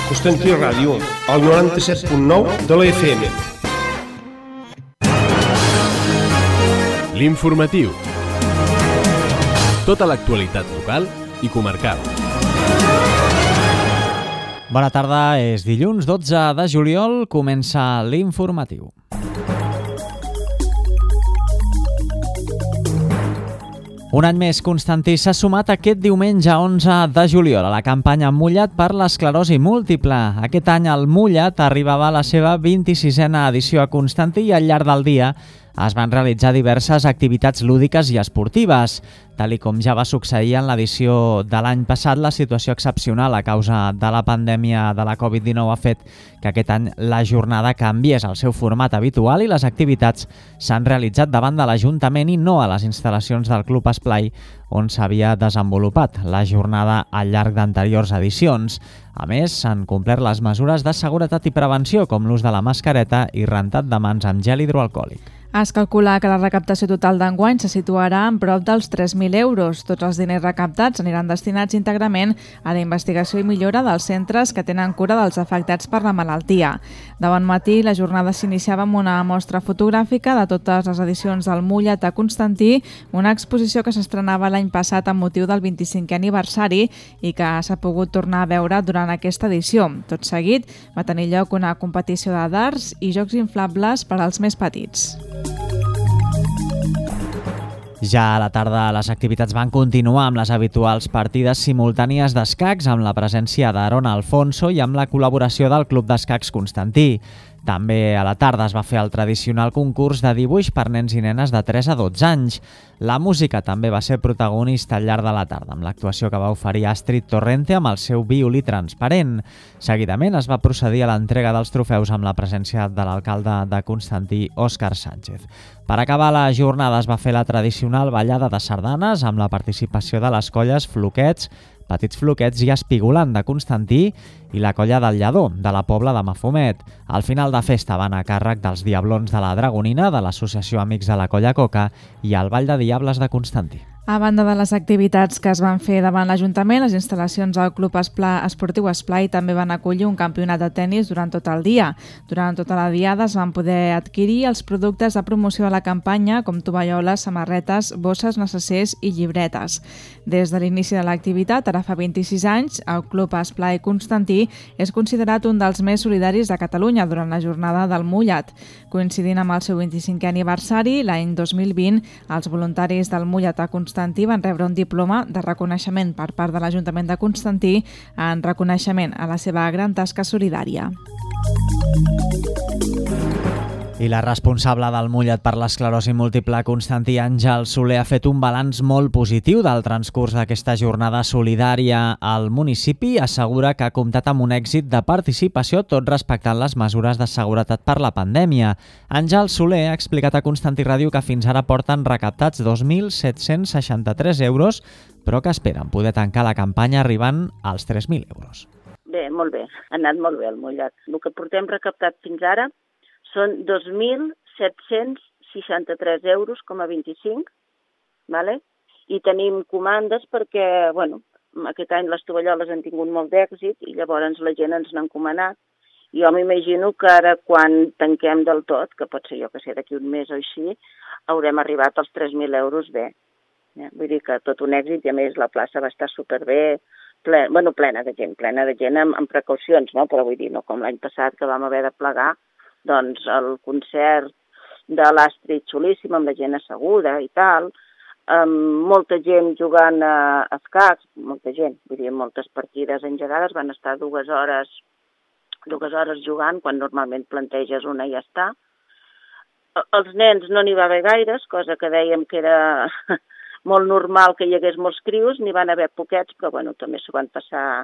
Constantí Ràdio, al 97.9 de la FM. L'informatiu. Tota l'actualitat local i comarcal. Bona tarda, és dilluns 12 de juliol, comença l'informatiu. Un any més, Constantí s'ha sumat aquest diumenge 11 de juliol a la campanya Mullat per l'esclerosi múltiple. Aquest any el Mullat arribava a la seva 26a edició a Constantí i al llarg del dia es van realitzar diverses activitats lúdiques i esportives. Tal com ja va succeir en l'edició de l'any passat, la situació excepcional a causa de la pandèmia de la Covid-19 ha fet que aquest any la jornada canviés el seu format habitual i les activitats s'han realitzat davant de l'Ajuntament i no a les instal·lacions del Club Esplai, on s'havia desenvolupat la jornada al llarg d'anteriors edicions. A més, s'han complert les mesures de seguretat i prevenció, com l'ús de la mascareta i rentat de mans amb gel hidroalcohòlic. Es calcula que la recaptació total d'enguany se situarà en prop dels 3.000 euros. Tots els diners recaptats aniran destinats íntegrament a la investigació i millora dels centres que tenen cura dels afectats per la malaltia. De bon matí, la jornada s'iniciava amb una mostra fotogràfica de totes les edicions del Mullat a Constantí, una exposició que s'estrenava l'any passat amb motiu del 25è aniversari i que s'ha pogut tornar a veure durant aquesta edició. Tot seguit, va tenir lloc una competició de dards i jocs inflables per als més petits. Ja a la tarda les activitats van continuar amb les habituals partides simultànies d'escacs amb la presència d'Aaron Alfonso i amb la col·laboració del Club d'Escacs Constantí. També a la tarda es va fer el tradicional concurs de dibuix per nens i nenes de 3 a 12 anys. La música també va ser protagonista al llarg de la tarda, amb l'actuació que va oferir Astrid Torrente amb el seu violí transparent. Seguidament es va procedir a l'entrega dels trofeus amb la presència de l'alcalde de Constantí, Òscar Sánchez. Per acabar la jornada es va fer la tradicional ballada de sardanes amb la participació de les colles Floquets, Petits Floquets i Espigolant de Constantí i la colla del Lledó, de la Pobla de Mafumet. Al final de festa van a càrrec dels Diablons de la Dragonina, de l'Associació Amics de la Colla Coca i el Ball de Diables de Constantí. A banda de les activitats que es van fer davant l'Ajuntament, les instal·lacions del Club Esportiu Esplai també van acollir un campionat de tennis durant tot el dia. Durant tota la diada es van poder adquirir els productes de promoció de la campanya, com tovalloles, samarretes, bosses, necessers i llibretes. Des de l'inici de l'activitat, ara fa 26 anys, el Club Esplai Constantí és considerat un dels més solidaris de Catalunya durant la jornada del Mullat. Coincidint amb el seu 25è aniversari, l'any 2020, els voluntaris del Mullat a Constantí van rebre un diploma de reconeixement per part de l'Ajuntament de Constantí en reconeixement a la seva gran tasca solidària. I la responsable del Mullat per l'esclerosi múltiple, Constantí Àngel Soler, ha fet un balanç molt positiu del transcurs d'aquesta jornada solidària al municipi. Assegura que ha comptat amb un èxit de participació, tot respectant les mesures de seguretat per la pandèmia. Àngel Soler ha explicat a Constantí Ràdio que fins ara porten recaptats 2.763 euros, però que esperen poder tancar la campanya arribant als 3.000 euros. Bé, molt bé. Ha anat molt bé el Mullat. El que portem recaptat fins ara són 2.763 euros, com a 25, ¿vale? I tenim comandes perquè, bueno, aquest any les tovalloles han tingut molt d'èxit i llavors la gent ens n'ha encomanat. Jo m'imagino que ara quan tanquem del tot, que pot ser jo que sé d'aquí un mes o així, haurem arribat als 3.000 euros bé. Vull dir que tot un èxit i a més la plaça va estar superbé, plena de gent amb precaucions, no? Però vull dir, no com l'any passat que vam haver de plegar, doncs el concert de l'Astrid xulíssim, amb la gent asseguda i tal, molta gent jugant a escacs, molta gent, vull dir, moltes partides engegades, van estar dues hores jugant, quan normalment planteges una i ja està. Els nens no n'hi va haver gaires, cosa que dèiem que era molt normal que hi hagués molts crios, n'hi van haver poquets, però bueno, també s'ho van passar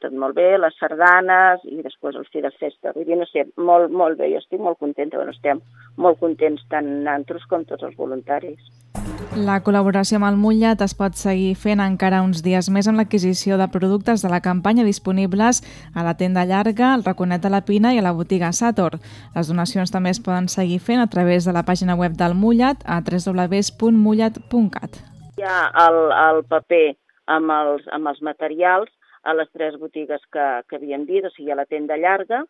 tot molt bé, les sardanes i després el fi de festa. Vull dir, no sé, molt bé, jo estic molt contenta, estem molt contents tant nosaltres com tots els voluntaris. La col·laboració amb el Mullat es pot seguir fent encara uns dies més amb l'adquisició de productes de la campanya disponibles a la tenda Llarga, al Raconet de la Pina i a la botiga Sator. Les donacions també es poden seguir fent a través de la pàgina web del Mullat a www.mullat.cat. Hi ha el paper amb els materials a les 3 botigues que havíem dit, o sigui, a la tenda llarga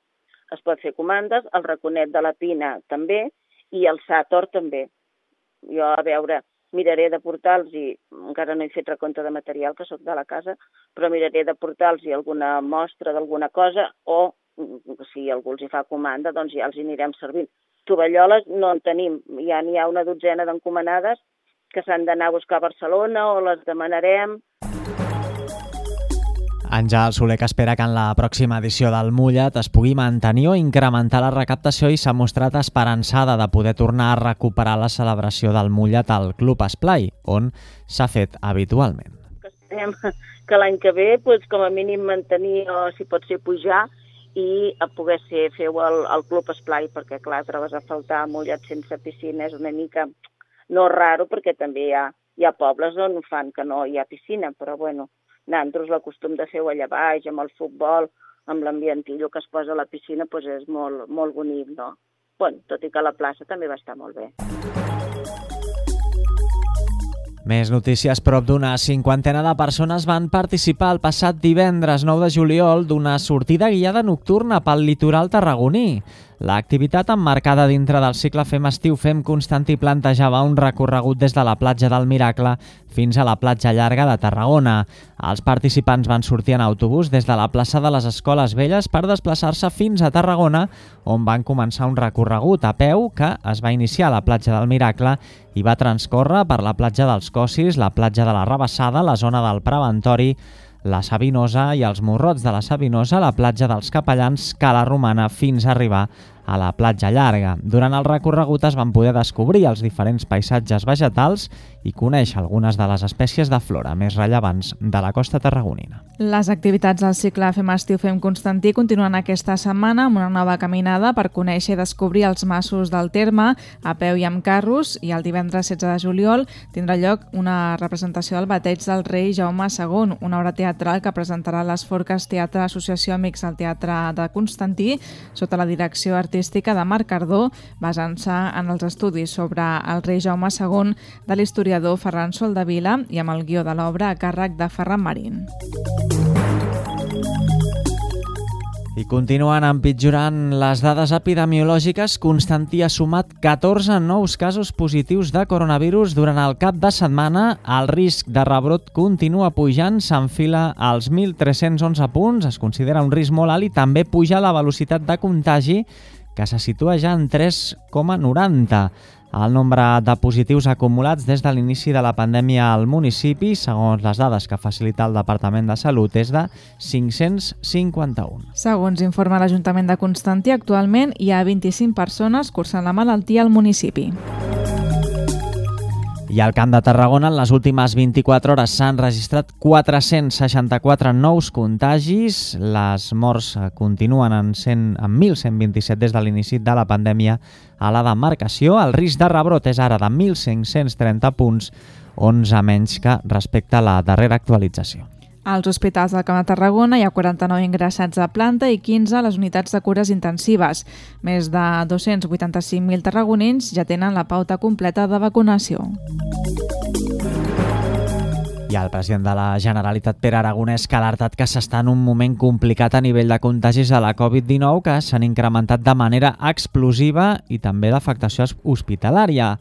es pot fer comandes, el raconet de la Pina també i el Sator també. Jo, a veure, miraré de portar-los, i encara no he fet recompte de material, que sóc de la casa, però miraré de portar-los alguna mostra d'alguna cosa, o si algú els hi fa comanda, doncs ja els hi anirem servint. Tovalloles no en tenim, ja n'hi ha una dotzena d'encomanades que s'han d'anar a buscar a Barcelona o les demanarem. Àngel Soler, que espera que en la pròxima edició del Mullet es pugui mantenir o incrementar la recaptació, i s'ha mostrat esperançada de poder tornar a recuperar la celebració del Mullet al Club Esplai, on s'ha fet habitualment. Esperem que l'any que ve, com a mínim mantenir, o si pot ser pujar, i a poder fer-ho al Club Esplai, perquè clar, trobes a faltar Mullet sense piscina, és una mica no raro, perquè també hi ha pobles on fan que no hi ha piscina, però bueno, nosaltres l'acostum de fer-ho allà baix, amb el futbol, amb l'ambientillo que es posa a la piscina, és molt, molt bonic, no? Bueno, tot i que la plaça també va estar molt bé. Més notícies. Prop d'una cinquantena de persones van participar el passat divendres 9 de juliol d'una sortida guiada nocturna pel litoral tarragoní. L'activitat, emmarcada dintre del cicle Fem Estiu, Fem Constantí, plantejava un recorregut des de la platja del Miracle fins a la platja llarga de Tarragona. Els participants van sortir en autobús des de la plaça de les Escoles Velles per desplaçar-se fins a Tarragona, on van començar un recorregut a peu que es va iniciar a la platja del Miracle i va transcórrer per la platja dels Cossis, la platja de la Rabassada, la zona del Preventori, la Sabinosa i els Morrots de la Sabinosa, la platja dels Capellans, Cala Romana, fins a arribar a la platja llarga. Durant el recorregut es van poder descobrir els diferents paisatges vegetals i conèixer algunes de les espècies de flora més rellevants de la costa tarragonina. Les activitats del cicle Fem Estiu, Fem Constantí continuen aquesta setmana amb una nova caminada per conèixer i descobrir els masos del terme a peu i amb carros, i el divendres 16 de juliol tindrà lloc una representació del bateig del rei Jaume II, una obra teatral que presentarà les Forques Teatre Associació Amics del Teatre de Constantí sota la direcció artística de Marc Cardó, basant-se en els estudis sobre el rei Jaume II de l'historiador Ferran Soldevila i amb el guió de l'obra a càrrec de Ferran Marín. I continuen empitjorant les dades epidemiològiques. Constantí ha sumat 14 nous casos positius de coronavirus durant el cap de setmana. El risc de rebrot continua pujant, s'enfila als 1.311 punts, es considera un risc molt alt, i també puja la velocitat de contagi, que se situa ja en 3,90. El nombre de positius acumulats des de l'inici de la pandèmia al municipi, segons les dades que facilita el Departament de Salut, és de 551. Segons informa l'Ajuntament de Constantí, actualment hi ha 25 persones cursant la malaltia al municipi. I al Camp de Tarragona, en les últimes 24 hores s'han registrat 464 nous contagis. Les morts continuen en 1.127 des de l'inici de la pandèmia a la demarcació. El risc de rebrot és ara de 1.530 punts, 11 menys que respecte a la darrera actualització. Als hospitals del Camp de Tarragona hi ha 49 ingressats a planta i 15 a les unitats de cures intensives. Més de 285.000 tarragonins ja tenen la pauta completa de vacunació. I el president de la Generalitat, Pere Aragonès, que ha alertat que s'està en un moment complicat a nivell de contagis de la Covid-19, que s'han incrementat de manera explosiva, i també d'afectació hospitalària.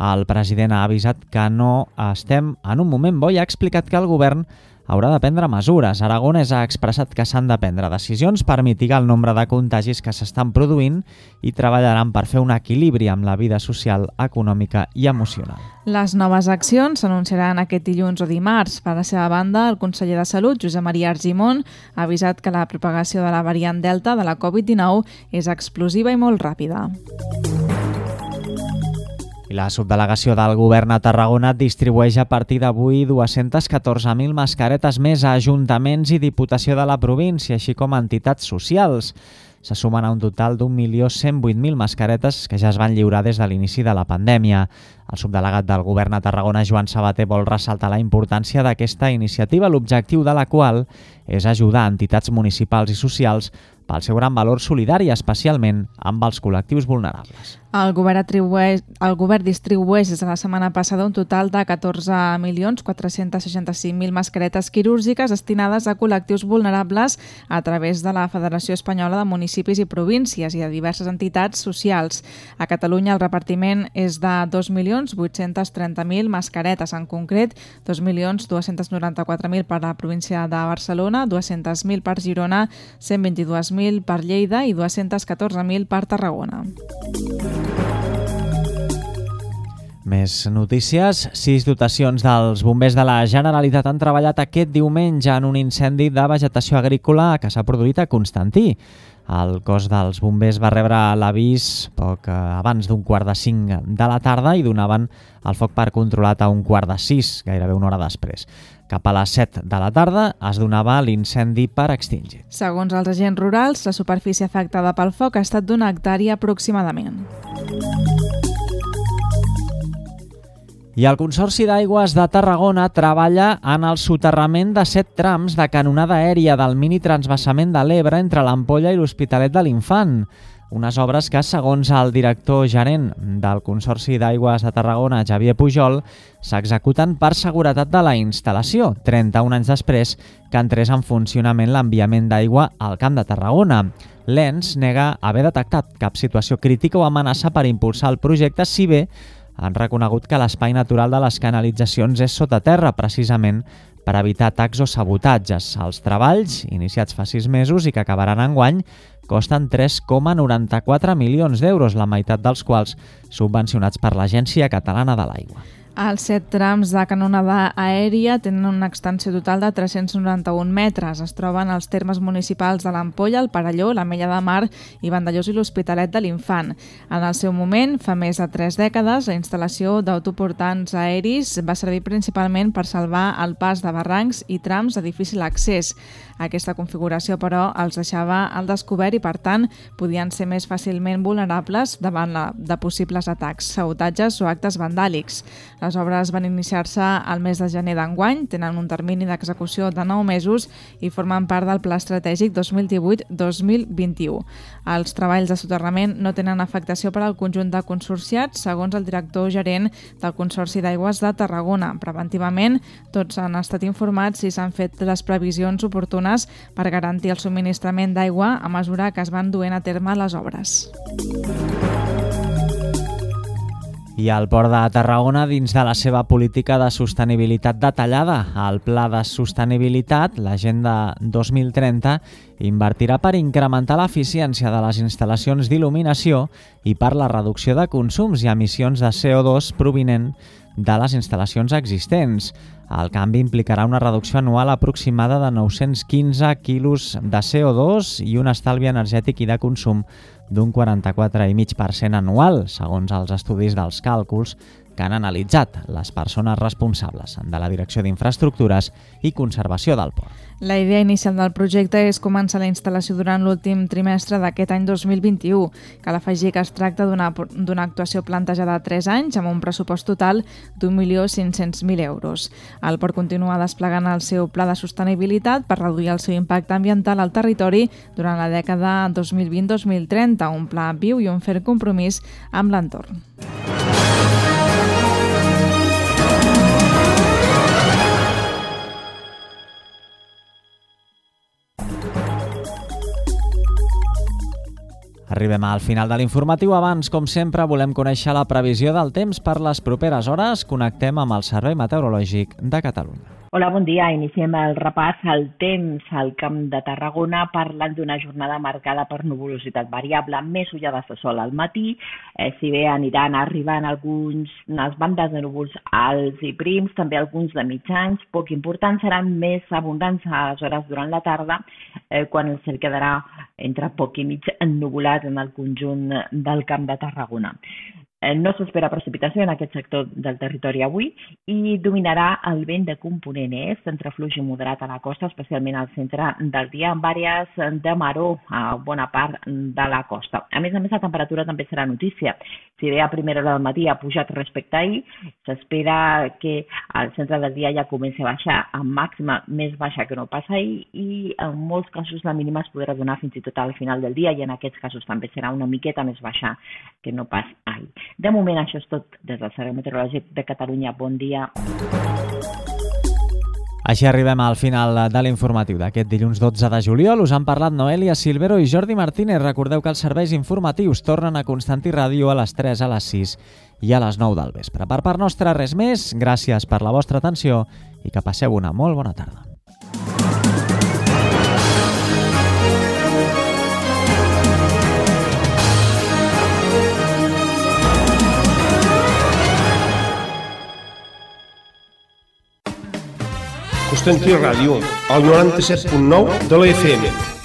El president ha avisat que no estem en un moment bo i ha explicat que el govern haurà de prendre mesures. Aragonès ha expressat que s'han de prendre decisions per mitigar el nombre de contagis que s'estan produint i treballaran per fer un equilibri amb la vida social, econòmica i emocional. Les noves accions s'anunciaran aquest dilluns o dimarts. Per la seva banda, el conseller de Salut, Josep Maria Argimon, ha avisat que la propagació de la variant Delta de la Covid-19 és explosiva i molt ràpida. I la subdelegació del govern a Tarragona distribueix a partir d'avui 214.000 mascaretes més a ajuntaments i Diputació de la província, així com a entitats socials. Se sumen a un total d'1.108.000 mascaretes que ja es van lliurar des de l'inici de la pandèmia. El subdelegat del govern a Tarragona, Joan Sabater, vol ressaltar la importància d'aquesta iniciativa, l'objectiu de la qual és ajudar entitats municipals i socials pel seu gran valor solidari, especialment amb els col·lectius vulnerables. El govern distribueix des de la setmana passada un total de 14.465.000 mascaretes quirúrgiques destinades a col·lectius vulnerables a través de la Federació Espanyola de Municipis i Províncies i de diverses entitats socials. A Catalunya el repartiment és de 2.830.000 mascaretes, en concret 2.294.000 per a la província de Barcelona, 200.000 per Girona, 122.000 per Lleida i 214.000 per Tarragona. Més notícies. 6 dotacions dels bombers de la Generalitat han treballat aquest diumenge en un incendi de vegetació agrícola que s'ha produït a Constantí. El cos dels bombers va rebre l'avís poc abans d'un 4:45 de la tarda i donaven el foc per controlat a 5:15, gairebé una hora després. Cap a les 7 de la tarda es donava l'incendi per extingir. Segons els agents rurals, la superfície afectada pel foc ha estat d'una hectàrea aproximadament. I el Consorci d'Aigües de Tarragona treballa en el soterrament de 7 trams de canonada aèria del mini-transvasament de l'Ebre entre l'Ampolla i l'Hospitalet de l'Infant. Unes obres que, segons el director gerent del Consorci d'Aigües de Tarragona, Xavier Pujol, s'executen per seguretat de la instal·lació, 31 anys després que entrés en funcionament l'enviament d'aigua al Camp de Tarragona. L'ENS nega haver detectat cap situació crítica o amenaça per impulsar el projecte, si bé han reconegut que l'espai natural de les canalitzacions és sota terra, precisament per evitar atacs o sabotatges. Els treballs, iniciats fa 6 mesos i que acabaran enguany, costen 3,94 milions d'euros, la meitat dels quals subvencionats per l'Agència Catalana de l'Aigua. Els 7 trams de canonada aèria tenen una extensió total de 391 metres. Es troben als termes municipals de l'Ampolla, el Perelló, l'Ametlla de Mar i Vandellós i l'Hospitalet de l'Infant. En el seu moment, fa més de 3 dècades, la instal·lació d'autoportants aeris va servir principalment per salvar el pas de barrancs i trams de difícil accés. Aquesta configuració, però, els deixava al descobert i, per tant, podien ser més fàcilment vulnerables davant de possibles atacs, sabotatges o actes vandàlics. Les obres van iniciar-se al mes de gener d'enguany, tenen un termini d'execució de 9 mesos i formen part del Pla Estratègic 2018-2021. Els treballs de soterrament no tenen afectació per al conjunt de consorciats, segons el director gerent del Consorci d'Aigües de Tarragona. Preventivament, tots han estat informats i s'han fet les previsions oportunes per garantir el subministrament d'aigua a mesura que es van duent a terme les obres. I el Port de Tarragona, dins de la seva política de sostenibilitat detallada, el Pla de Sostenibilitat, l'Agenda 2030, invertirà per incrementar l'eficiència de les instal·lacions d'il·luminació i per la reducció de consums i emissions de CO2 provinent de les instal·lacions existents. El canvi implicarà una reducció anual aproximada de 915 quilos de CO2 i un estalvi energètic i de consum d'un 44,5% anual, segons els estudis dels càlculs que han analitzat les persones responsables de la Direcció d'Infraestructures i Conservació del Port. La idea inicial del projecte és començar la instal·lació durant l'últim trimestre d'aquest any 2021. Cal afegir que es tracta d'una actuació plantejada a 3 anys amb un pressupost total d'1.500.000 euros. El Port continua desplegant el seu pla de sostenibilitat per reduir el seu impacte ambiental al territori durant la dècada 2020-2030, un pla viu i un ferm compromís amb l'entorn. Arribem al final de l'informatiu. Abans, com sempre, volem conèixer la previsió del temps per les properes hores. Connectem amb el Servei Meteorològic de Catalunya. Hola, bon dia. Iniciem el repàs al temps al Camp de Tarragona, parlant d'una jornada marcada per nuvolositat variable, més ullades de sol al matí, si bé aniran arribant unes bandes de núvols alts i prims, també alguns de mitjans, poc importants, seran més abundants a les hores durant la tarda, quan el cel quedarà entre poc i mig ennuvolat en el conjunt del Camp de Tarragona. No s'espera precipitació en aquest sector del territori avui i dominarà el vent de component est, entre fluix i moderat a la costa, especialment al centre del dia, amb àrees de maror a bona part de la costa. A més, la temperatura també serà notícia. Si bé a primera hora del matí ha pujat respecte a ahir, s'espera que al centre del dia ja comenci a baixar amb màxima més baixa que no pas ahir i en molts casos la mínima es podrà donar fins i tot al final del dia i en aquests casos també serà una miqueta més baixa que no pas ahir. De moment, això és tot des del Servei Meteorològic de Catalunya. Bon dia. Així arribem al final de l'informatiu d'aquest dilluns 12 de juliol. Us han parlat Noelia Silvero i Jordi Martínez. Recordeu que els serveis informatius tornen a Constantí Ràdio a les 3, a les 6 i a les 9 del vespre. Per part nostra, res més. Gràcies per la vostra atenció i que passeu una molt bona tarda. Constantí Ràdio, al 97.9 de la FM.